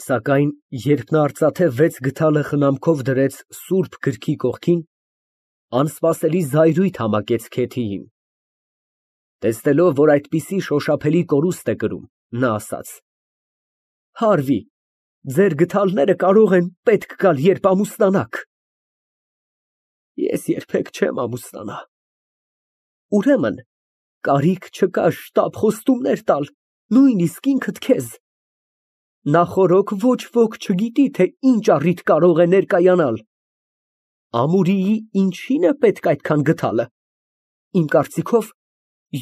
Սակայն երբ նա արծաթե 6 գդալը խնամքով դրեց սուրբ գրքի կողքին, անսպասելի զայրույթ համակեց Քեթիին. տեսնելով, որ այդպիսի շոշափելի կորուստ է կրում, նա ասաց. Հարվի, ձեր գդալները կարող են պետք գալ, երբ ամուսնանաք։ Ես երբեք չեմ ամուսնանա։ Ուրեմն կարիք չկա շտապ խոստումներ տալ, նույնիսկ ինքդ քեզ։ Նախօրոք ոչ ոք չգիտի, թե ինչ առիթ կարող է ներկայանալ։ Ամուրիի ինչին է պետք այդքան գդալը։ Իմ կարծիքով,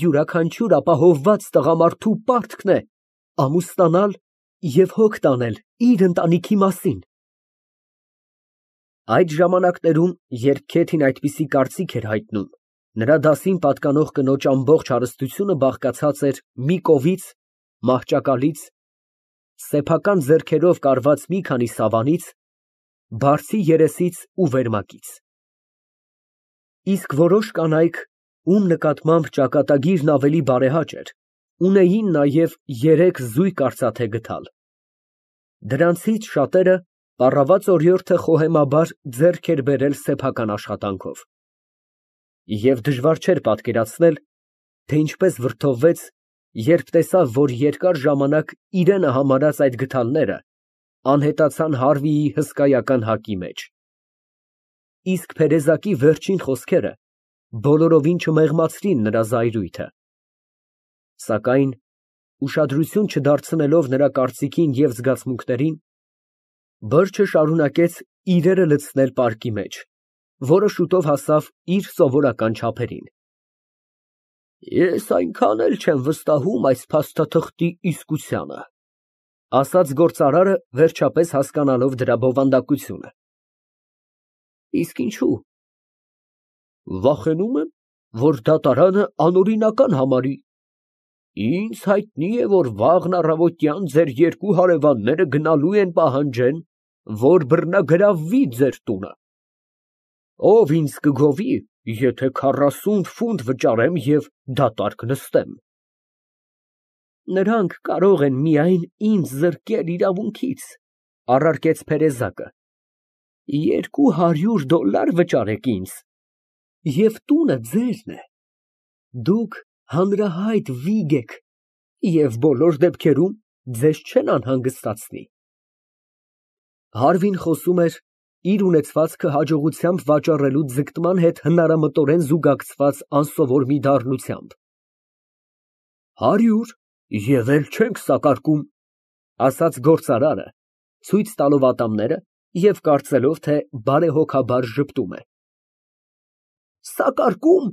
յուրաքանչյուր ապահովված տղամարդու պարտքն է ամուսնանալ և հոգ տանել իր ընտանիքի մասին։ Այդ ժամանակներում, երբ Քեթին այդպիսի կարծիք էր հայտնում, նրա դասին պատկանող կնոջ ամբողջ հարստությունը բաղկացած էր մի կովից, մահճակալից, սեփական ձեռքերով կարված մի քանի սավանից, բարձի երեսից ու վերմակից։ Իսկ որոշ կանայք, ում նկատմամբ ճակատագիրն ավելի բարեհաճ էր, ունեին նաև 3 զույգ արծաթե գդալ։ Դրանցից շատերը պառաված օրիորդը խոհեմաբար ձեռք էր բերել սեփական աշխատանքով։ Եվ դժվար չէր պատկերացնել, թե ինչպես վրդովվեց, երբ տեսավ, որ երկար ժամանակ իրենը համարած այդ գդալները անհետացան Հարվիի հսկայական հակի մեջ։ Իսկ Փերեզակի վերջին խոսքերը բոլորովին չմեղմացրին նրա զայրույթը։ Սակայն, ուշադրություն չդարձնելով նրա կարծիքին և զգացմունքներին, բրջը շարունակեց իրերը լցնել պարկի մեջ, որը շուտով հասավ իր սովորական չափերին։ Ես այնքան էլ չեմ վստահում այս փաստաթղթի իսկությանը, ասաց գործարարը, վերջապես հասկանալով դրա բովանդակությունը։ Իսկ ինչու։ Վախենում եմ, որ դատարանը անօրինական համարի։ Ինձ հայտնի է, որ վաղն առավոտյան ձեր 2 հարևանները գնալու են պահանջեն, որ բռնագրավվի ձեր տունը։ Ով ինձ կգովի, եթե 40 ֆունտ վճարեմ և դատարկ նստեմ։ Նրանք կարող են միայն ինձ զրկել իրավունքից, առարկեց Փերեզակը։ $200 վճարեք ինձ, և տունը ձերն է։ Դուք հանրահայտ վիգ եք և բոլոր դեպքերում ձեզ չեն անհանգստացնի։ Հարվին խոսում էր իր ունեցվածքը հաջողությամբ վաճառելու ձգտման հետ հնարամտորեն զուգակցված անսովոր մի դառնությամբ։ 100 և էլ չենք սակարկում, ասաց գործարարը, ցույց տալով ատամները և կարծելով, թե բարեհոգաբար ժպտում է։ Սակարկում,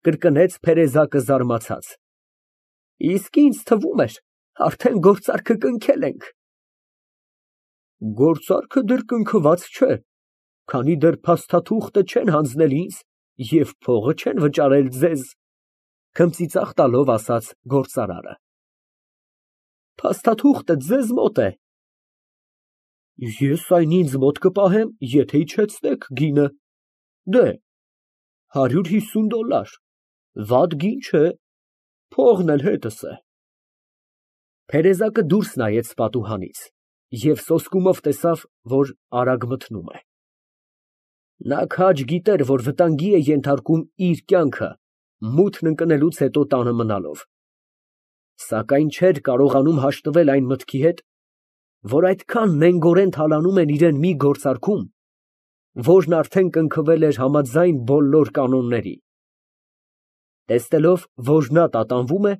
կրկնեց Փերեզակը զարմացած։ Իսկ ինձ թվում էր, արդեն գործարքը կնքել ենք։ Գործարքը դեռ կնքված չէ, քանի դեռ փաստաթուղթը չեն հանձնել ինձ և փողը չեն վճարել ձեզ, քմծիծաղ տալով ասաց գործարարը։ Փաստաթուղթը ձեզ մոտ է։ Ես այն ինձ մոտ կպահեմ, եթե իջեցնեք գինը։ Դե, $150, վատ գին չէ, փողն էլ հետս է։ Փերեզակը դուրս նայեց պատուհանից և սոսկումով տեսավ, որ արագ մթնում է։ Նա քաջ գիտեր, որ վտանգի է ենթարկում իր կյանքը մութն ընկնելուց հետո տանը մնալով, սակայն չէր կարողանում հաշտվել այն մտքի հետ, որ այդքան նենգորեն թալանում են իրան մի գործարքում, որն արդեն կնքվել էր համաձայն բոլոր կանոնների։ Տեսնելով, որ նա տատանվում է,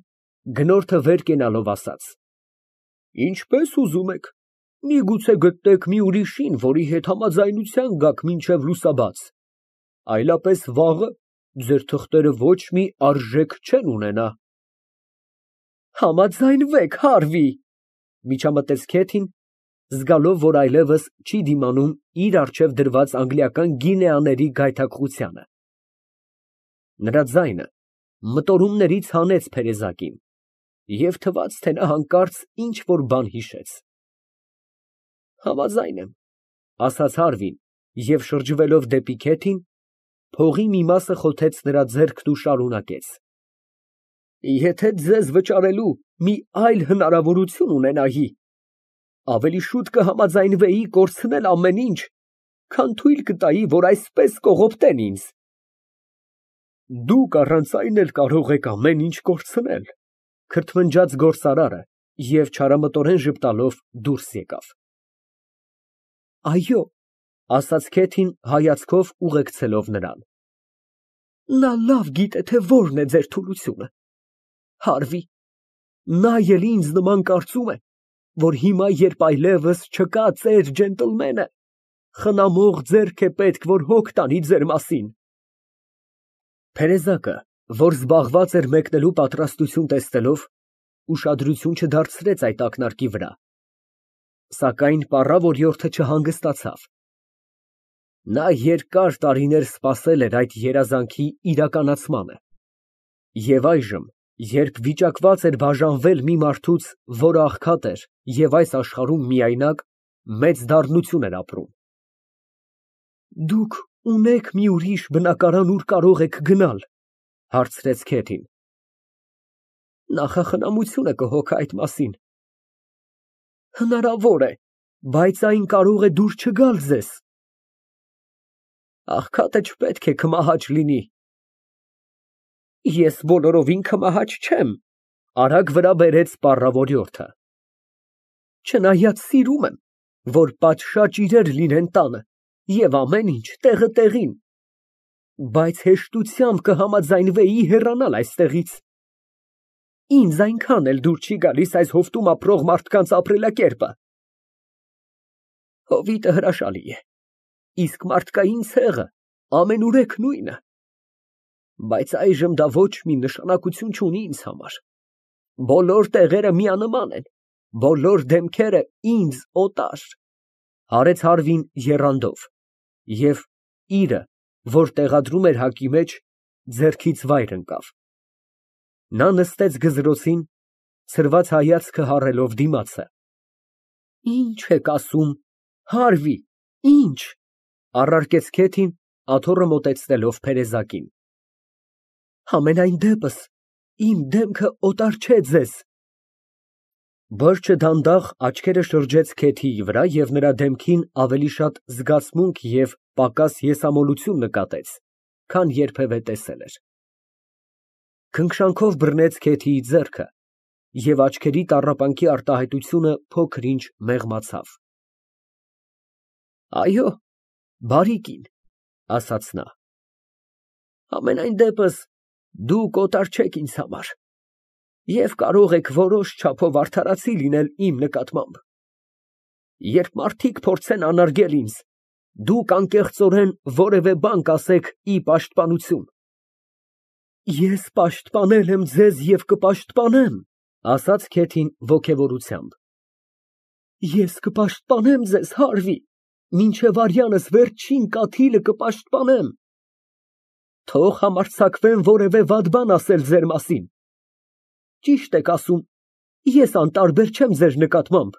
գնորդը վեր կենալով ասաց. Ինչպես ուզում եք, միգուցե գտնեք մի ուրիշին, որի հետ համաձայնության գաք մինչև լուսաբաց, այլապես վաղը ձեր թղթերը ոչ մի արժեք չեն ունենա։ Համաձայնվեք, Հարվի, միջամտեց Քեթին, զգալով, որ այլևս չի դիմանում իր առջև դրված անգլիական գինեաների գայթակղությանը։ Նրա ձայնը մտորումներից հանեց Փերեզակին, և թվաց, թե նա հանկարծ ինչ֊որ բան հիշեց։ Համաձայն եմ, ասաց Հարվին և շրջվելով դեպի Քեթին, փողի մի մասը խոթեց նրա ձեռքն ու շարունակեց. Եթե ձեզ վճարելու մի այլ հնարավորություն ունենայի, ավելի շուտ կհամաձայնվեի կորցնել ամեն ինչ, քան թույլ կտայի, որ այսպես կողոպտեն ինձ։ Դուք առանց այն էլ կարող եք ամեն ինչ կորցնել, քրթմնջաց գործարարը և չարամտորեն ժպտալով դուրս եկավ։ Այո, ասաց Քեթին հայացքով ուղեկցելով նրան։ Նա լավ գիտե, թե որն է ձեր թուլությունը։ Հարվի, նա էլ ինձ նման կարծում է, որ հիմա, երբ այլևս չկա ծեր ջենտլմենը, խնամող ձեռք է պետք, որ հոգ տանի ձեր մասին։ Փերեզակը, որ զբաղված էր մեկնելու պատրաստություն տեսնելով, ուշադրություն չդարձրեց այդ ակնարկի վրա, սակայն պառավ օրիորդը չհանգստացավ։ Նա երկար տարիներ սպասել էր այդ երազանքի իրականացմանը, և այժմ, երբ վիճակված էր բաժանվել մի մարդուց, որը աղքատ էր և այս աշխարհում միայնակ, մեծ դառնություն էր ապրում։ Դուք ունե՞ք մի ուրիշ բնակարան, ուր կարող եք գնալ, հարցրեց Քեթին։ Նախախնամությունը կհոգա այդ մասին։ Հնարավոր է, բայց այն կարող է դուր չգալ ձեզ։ Աղքատը չպետք է քմահաճ լինի։ Ես բոլորովին քմահաճ չեմ, արագ վրա բերեց պառավ օրիորդը։ Չնայած սիրում եմ, որ պատշաճ իրեր լինեն տանը և ամեն ինչ տեղը տեղին, բայց հեշտությամբ կհամաձայնվեի հեռանալ այստեղից։ Ինձ այնքան էլ դուր չի գալիս այս հովտում ապրող մարդկանց ապրելակերպը։ Հովիտը հրաշալի է, իսկ մարդկային ցեղը ամենուրեք նույնը, բայց այժմ դա ոչ մի նշանակություն չունի ինձ համար։ Բոլոր տեղերը միանման են, բոլոր դեմքերը ինձ օտար, հարեց Հարվին եռանդով, և իրը, որ տեղադրում էր հակի մեջ, ձեռքից վայր ընկավ։ Նա նստեց գզրոցին, ցրված հայացքը հառելով դիմացը։ Ինչ եք ասում, Հարվի, ինչ, առարկեց Քեթին, աթոռը մոտեցնելով Փերեզակին։ Համենայն դեպս, իմ դեմքը օտար չէ ձեզ։ Բրջը դանդաղ աչքերը շրջեց Քեթիի վրա և նրա դեմքին ավելի շատ զգացմունք և պակաս եսամոլություն նկատեց, քան երբևէ տեսել էր։ Քնքշանքով բռնեց Քեթիի ձեռքը և աչքերի տառապանքի արտահայտությունը փոքր֊ինչ մեղմացավ։ Այո, բարի կին, ասաց նա։ Համենայն դեպս, դուք օտար չեք ինձ համար և կարող եք որոշ չափով արդարացի լինել իմ նկատմամբ։ Երբ մարդիկ փորձեն անարգել ինձ, դուք անկեղծորեն որևէ բան կասեք ի պաշտպանություն։ Ես պաշտպանել եմ ձեզ և կպաշտպանեմ, ասաց Քեթին ոգևորությամբ։ Ես կպաշտպանեմ ձեզ, Հարվի, մինչև արյանս վերջին կաթիլը կպաշտպանեմ։ Թող համարձակվեն որևէ վատ բան ասել ձեր մասին։ Ճիշտ եք ասում, ես անտարբեր չեմ ձեր նկատմամբ,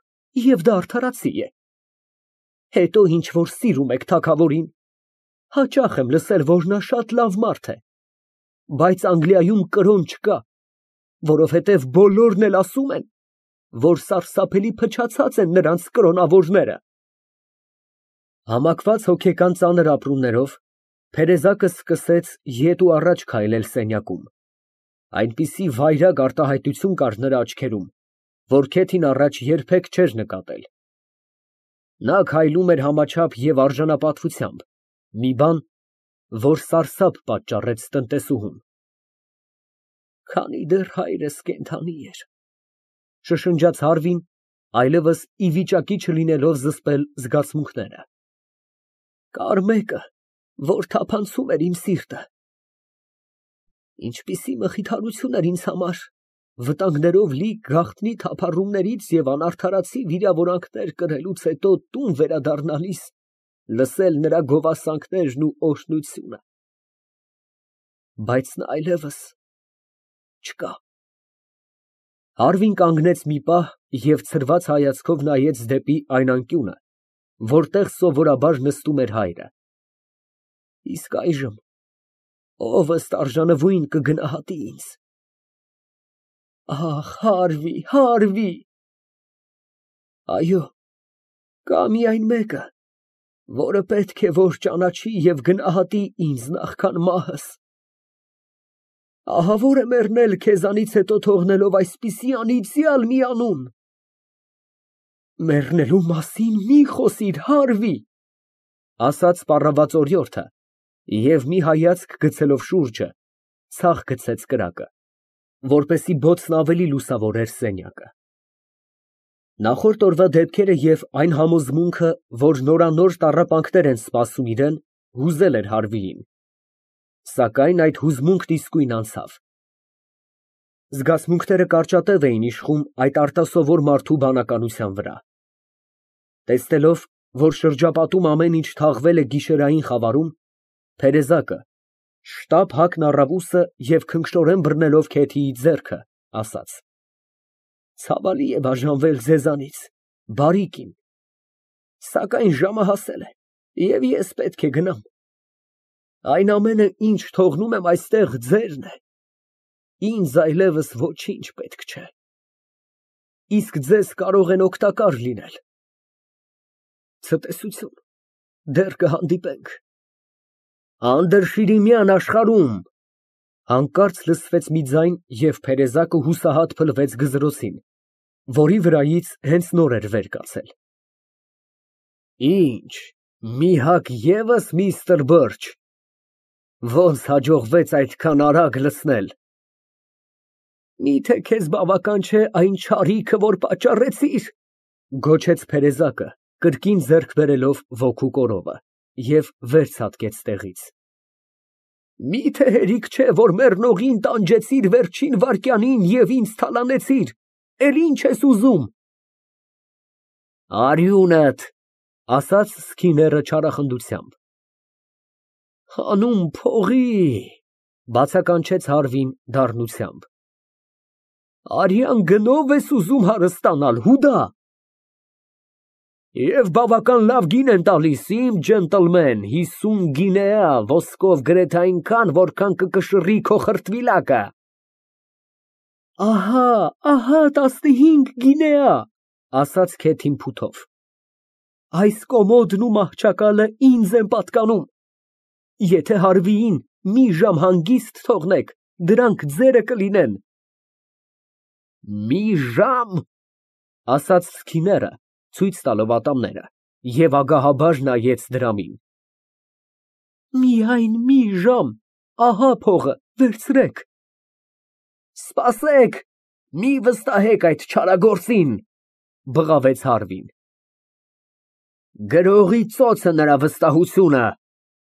և դա արդարացի է։ Հետո ինչ որ սիրում եք թագավորին, հաճախ եմ լսել, որ նա շատ լավ մարդ է, բայց Անգլիայում կրոն չկա, որովհետև բոլորն էլ ասում են, որ սարսափելի փչացած են նրանց կրոնավորները։ Համակված հոգեկան ծանր ապրումներով, Փերեզակը սկսեց ետ ու առաջ քայլել սենյակում, այնպիսի վայրագ արտահայտություն կար նրա աչքերում, որ Քեթին առաջ երբեք չէր նկատել։ Նա քայլում էր համաչափ և արժանապատվությամբ, մի բան, որ սարսափ պատճառեց տնտեսուհուն։ Քանի դեռ հայրս կենդանի էր, շշնջաց Հարվին, այլևս ի վիճակի չլինելով զսպել զգացմունքները։ Կար մեկը, որ թափանցում էր իմ սիրտը։ Ինչպիսի մխիթարություն էր ինձ համար, վտանգներով լի գաղտնի թափառումներից և անարդարացի վիրավորանքներ կրելուց հետո տուն վերադառնալիս լսել նրա գովասանքներն ու օրհնությունը։ Բայց նա այլևս չկա։ Հարվին կանգնեց մի պահ և ցրված հայացքով նայեց դեպի այն անկյունը, որտեղ սովորաբար նստում էր հայրը։ Իսկ այժմ ո՞վ ըստ արժանվույն կգնահատի ինձ։ Ահ, Հարվի, Հարվի։ Այո, կա միայն մեկը, որը պետք է որ ճանաչի և գնահատի ինձ նախքան մահս։ Ահա որ է մեռնել քեզանից հետո թողնելով այսպիսի անիծյալ մի անուն։ Մեռնելու մասին մի խոսիր, Հարվի, ասաց պառաված օրիորդը և մի հայացք գցելով շուրջը, ցախ գցեց կրակը, որպեսզի բոցն ավելի լուսավորեր սենյակը։ Նախորդ օրվա դեպքերը և այն համոզմունքը, որ նորանոր տառապանքներ են սպասում իրան, հուզել էր Հարվիին, սակայն այդ հուզմունքն իսկույն անցավ։ Զգացմունքները կարճատև էին իշխում այդ արտասովոր մարդու բանականության վրա։ Տեսնելով, որ շրջապատում ամեն ինչ թաղվել է գիշերային խավարում, Թերեզակը շտապ հագն առավ ուսը և քնքշորեն բռնելով Քեթիի ձեռքը, ասաց. Ցավալի է բաժանվել ձեզանից, բարի կին, սակայն ժամը հասել է, և ես պետք է գնամ։ Այն ամենը, ինչ թողնում եմ այստեղ, ձերն է, ինձ այլևս ոչինչ պետք չէ, իսկ ձեզ կարող են օգտակար լինել։ Ցտեսություն, դեռ կհանդիպենք։ Անդրշիրիմյան աշխարհում, հանկարծ լսվեց մի ձայն և Փերեզակը հուսահատ փլվեց գզրոցին, որի վրայից հենց նոր էր վեր կացել։ Ինչ, մի հագ ևս, միստր Բըրչ, ոնց հաջողվեց այդքան արագ լցնել։ Միթե քեզ բավական չէ այն չարիքը, որ պատճառեցիր, գոչեց Փերեզակը, կրկին ձեռք բերելով ոգու կորովը, և վեր ցատկեց տեղից։ Միթե հերիք չէ, որ մեռնողին տանջեցիր վերջին վայրկյանին և ինձ թալանեցիր, էլ ինչ ես ուզում։ Արյունդ, ասաց Սքիները չարախնդությամբ։ Հանուն փողի, բացականչեց Հարվին դառնությամբ։ Արյան գնով ես ուզում հարստանալ, հուդա։ Եվ բավական լավ գին են տալիս, իմ ջենտլմեն, 50 գինեա, ոսկով գրեթե այնքան, որքան կկշռի քո խրտվիլակը։ Ահա, 15 գինեա, ասաց Քեթին փութով։ Այս կոմոդն ու մահճակալը ինձ են պատկանում։ Եթե Հարվիին մի ժամ հանգիստ թողնեք, դրանք ձերը կլինեն։ Մի ժամ, ասաց Սքիները, ցույց տալով ատամները, և ագահաբար նայեց դրամին։ Միայն մի ժամ, ահա փողը, վերցրեք։ Սպասեք, մի վստահեք այդ չարագործին, բղավեց Հարվին։ Գրողի ծոցը նրա վստահությունը,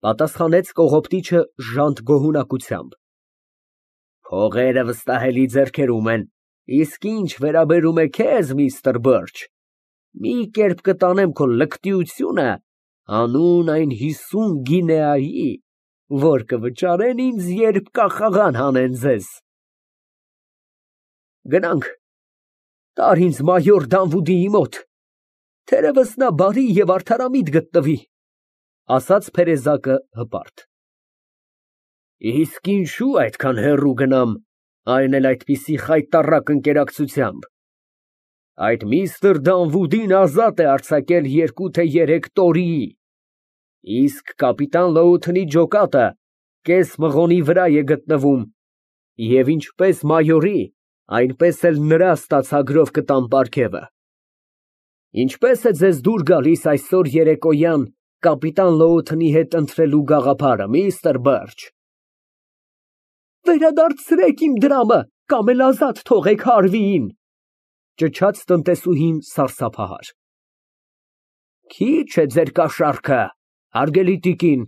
պատասխանեց կողոպտիչը ժանտ գոհունակությամբ։ Փողերը վստահելի ձեռքերում են, իսկ ինչ վերաբերում է քեզ, միստր Բըրչ, մի կերպ կտանեմ քո լկտիությունը հանուն այն 50 գինեայի, որ կվճարեն ինձ, երբ կախաղան հանեն ձեզ։ Գնանք, տար ինձ մայոր Դանվուդիի մոտ, թերևս նա բարի և արդարամիտ գտնվի, ասաց Փերեզակը հպարտ։ Իսկ ինչու այդքան հեռու գնամ, այն էլ այդպիսի խայտառակ ընկերակցությամբ։ Այդ միստր Դանվուդին ազատ է արձակել 2 թե 3 տորիի, իսկ կապիտան Լոութնի ջոկատը կես մղոնի վրա է գտնվում, և ինչպես մայորի, այնպես էլ նրա ստացագրով կտամ պարգևը։ Ինչպես է ձեզ դուր գալիս այսօր երեկոյան կապիտան Լոութնի հետ ընթրելու գաղափարը, միստր Բըրչ։ Վերադարձրեք իմ դրամը, կամ էլ ազատ թողեք Հարվիին, ճչաց տնտեսուհին սարսափահար։ Քիչ է ձեր կաշառքը, հարգելի տիկին,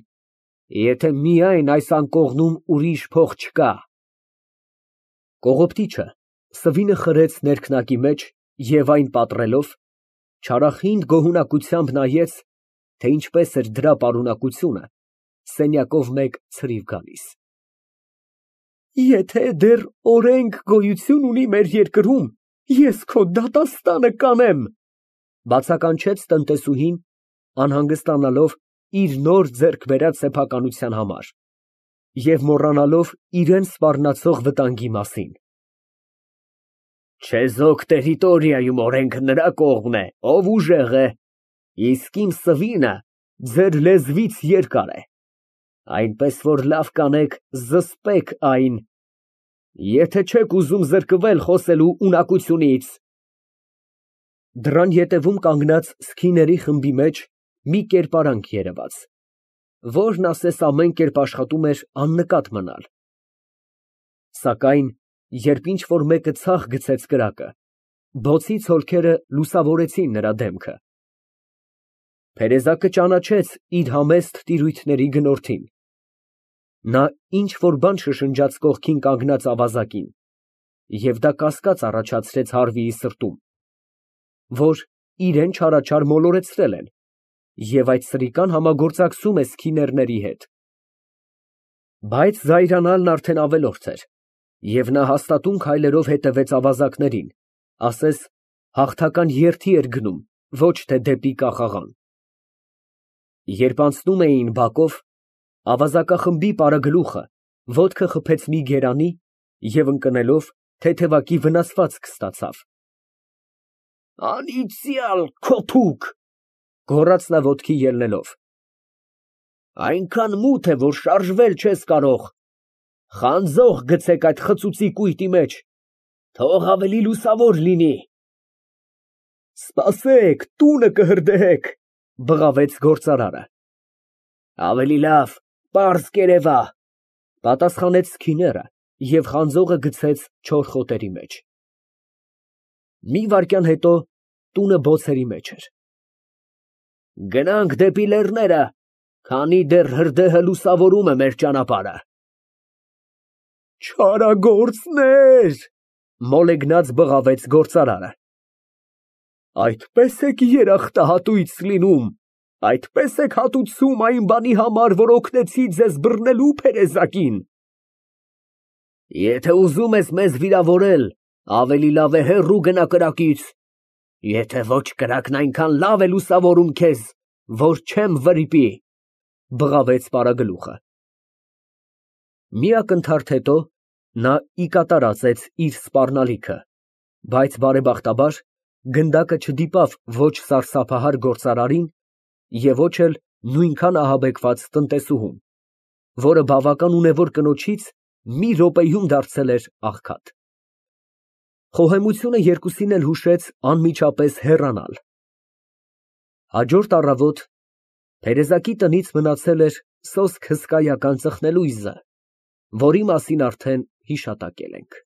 եթե միայն այս անկողնում ուրիշ փող չկա։ Կողոպտիչը սվինը խրեց ներքնակի մեջ և այն պատռելով, չարախինդ գոհունակությամբ նայեց, թե ինչպես էր դրա պարունակությունը սենյակով մեկ ցրիվ գալիս։ Եթե դեռ օրենք գոյություն ունի մեր երկրում, ես քո դատաստանը կանեմ, բացականչեց տնտեսուհին, անհանգստանալով իր նոր ձեռք բերած սեփականության համար և մոռանալով իրան սպառնացող վտանգի մասին։ Չեզոք տերիտորիայում օրենքը նրա կողմն է, ով ուժեղ է, իսկ իմ սվինը ձեր լեզվից երկար է, այնպես որ լավ կանեք զսպեք այն, եթե չեք ուզում զրկվել խոսելու ունակությունից։ Դռան ետևում կանգնած սքիների խմբի մեջ մի կերպարանք երևաց, որն ասես ամեն կերպ աշխատում էր աննկատ մնալ, սակայն երբ ինչ֊որ մեկը ցախ գցեց կրակը, բոցի ցոլքերը լուսավորեցին նրա դեմքը։ Փերեզակը ճանաչեց իր համեստ տիրույթների գնորդին։ Նա ինչ֊որ բան շշնջաց կողքին կանգնած ավազակին, և դա կասկած առաջացրեց Հարվիի սրտում, որ իրան չարաչար մոլորեցրել են, և այդ սրիկան համագործակցում է սքիներների հետ։ Բայց զայրանալն արդեն ավելորդ էր, և նա հաստատուն քայլերով հետևեց ավազակներին, ասես հաղթական երթի էր գնում, ոչ թե դեպի կախաղան։ Երբ անցնում էին բակով, ավազակախմբի պարագլուխը ոտքը խփեց մի գերանի և ընկնելով թեթևակի վնասվածք ստացավ։ Անիծյալ քոթուկ, գոռաց նա ոտքի ելնելով, այնքան մութ է, որ շարժվել չես կարող, խանձող գցեք այդ խցուցի կույտի մեջ, թող ավելի լուսավոր լինի։ Սպասեք, տունը կհրդեհեք, բղավեց գործարարը։ Ավելի լավ, պարզ կերևա, պատասխանեց սքիները և խանձողը գցեց չոր խոտերի մեջ։ Մի վայրկյան հետո տունը բոցերի մեջ էր։ Գնանք դեպի լեռները, քանի դեռ հրդեհը լուսավորում է մեր ճանապարհը։ Չարագործներ, մոլեգնած բղավեց գործարարը։ Այդպես եք երախտահատույց լինում, այդպես եք հատուցում այն բանի համար, որ օգնեցի ձեզ բռնելու փերեզակին։ Եթե ուզում ես մեզ վիրավորել, ավելի լավ է հեռու գնա կրակից, եթե ոչ կրակն այնքան լավ է լուսավորում քեզ, որ չեմ վրիպի, բղավեց պարագլուխը։ Մի ակնթարթ հետո նա ի կատար ածեց իր սպառնալիքը, բայց բարեբախտաբար գնդակը չդիպավ ոչ սարսափահար գործարարին և ոչ էլ նույնքան ահաբեկված տնտեսուհուն, որը բավական ունևոր կնոջից մի րոպեում դարձել էր աղքատ։ Խոհեմությունը երկուսին էլ հուշեց անմիջապես հեռանալ։ Հաջորդ առավոտ Փերեզակի տնից մնացել էր սոսկ հսկայական ծխնելույզը, որի մասին արդեն հիշատակել ենք։